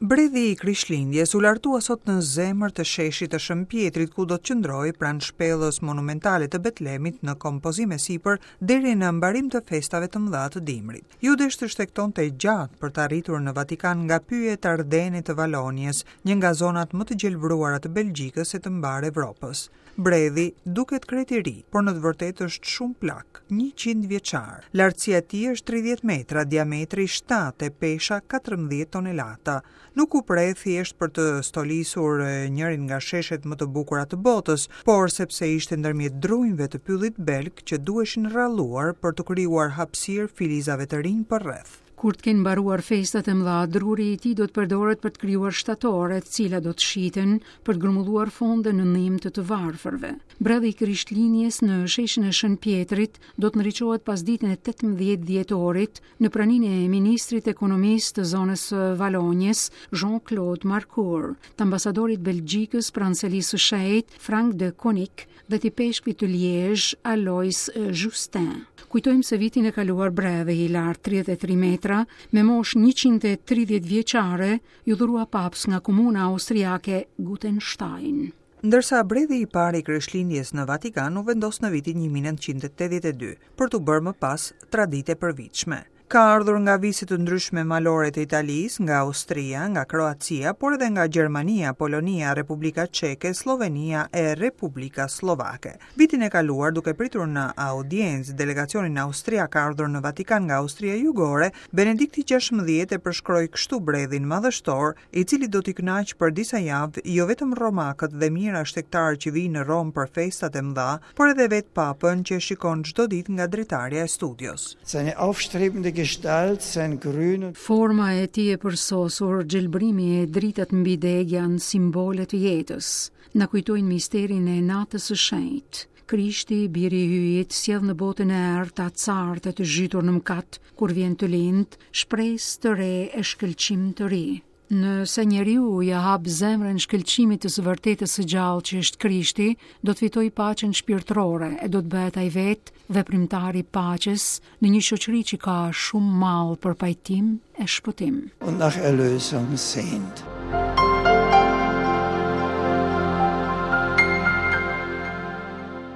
Bredhi i Krishtlindjes u lartua sot në zemër të sheshit të Shën Pjetrit, ku do të qëndrojë pranë shpellës monumentale të Betlemit në kompozim e sipër deri në mbarim të festave të mëdha të dimrit. Iu desh të shtegtonte gjatë për të arritur në Vatikan nga pyjet Ardene të Valonjës, një nga zonat më të gjelbëruara të Belgjikës e të mbarë Evropës. Bredhi duket krejt i ri, por në të vërtetë është shumë plak, 100 vjeçar. Lartësia e tij është 30 metra, diametri 7 e pesha 14 tonelata. Nuk u pre thjesht për të stolisur njërin nga sheshet më të bukura të botës, por sepse ishte ndërmjet drunjve të pyllit belg që duheshin rralluar për t'u krijuar hapësirë filizave të rinj përreth. Kur të kenë mbaruar festat e mëdha, druri i tij do të përdoret për të krijuar shtatore, të cilat do të shiten për të grumbulluar fonde në ndihmë të të varfërve. Bredhi i Krishtlindjes në sheshin e Shën Pjetrit do të ndriçohet pasditen e 18 dhjetorit në praninë e ministrit të ekonomisë të zonës së Valonjës, Jean-Claude Marcourt, të ambasadorit të Belgjikës pranë Selisë së Shenjtë, Frank de Koninck, dhe të ipeshkvit të Liezh, Alois Justin. Kujtojmë se vitin e kaluar bredhi i lartë 33 metra, me moshë 130 vjeçare, iu dhurua papës nga komuna austriake Gutenstein. Ndërsa bredhi i parë i Krishtlindjes në Vatikan u vendos në vitin 1982, për t'u bërë më pas traditë e përvitshme. Ka ardhur nga vise të ndryshme malore të Italisë, nga Austria, nga Kroacia, por edhe nga Gjermania, Polonia, Republika Çeke, Sllovenia e Republika Sllovake. Vitin e kaluar, duke pritur në audiencë delegacionin austriak ardhur në Vatikan nga Austria Jugore, Benedikti XVI e përshkroi kështu bredhin madhështor, i cili do t'i kënaqë për disa javë jo vetëm romakët dhe mijëra shtegtarë që vijnë në Romë për festat e mëdha, por edhe vetë Papën që e shikon çdo ditë nga dritarja e studios. Seine aufstrebende Gestalt, sein Grün und. Forma e tij e përsosur, gjelbërimi e dritat mbi degë janë simbole të jetës. Na kujtojnë misterin e Natës së Shenjtë. Krishti, Biri i Hyjit, sjell në botën e errët, acartë e të zhytur në mëkat, kur vjen të lindë, shpresë të re e shkëlqim të ri. Nëse njeriu ia hap zemrën shkëlqimit të së vërtetës së gjallë që është Krishti, do të fitojë paqen shpirtërore e do të bëhet ai vetë veprimtar i paqes në një shoqëri që ka shumë mall për pajtim e shpëtim. Und nach Erlösung sehnt.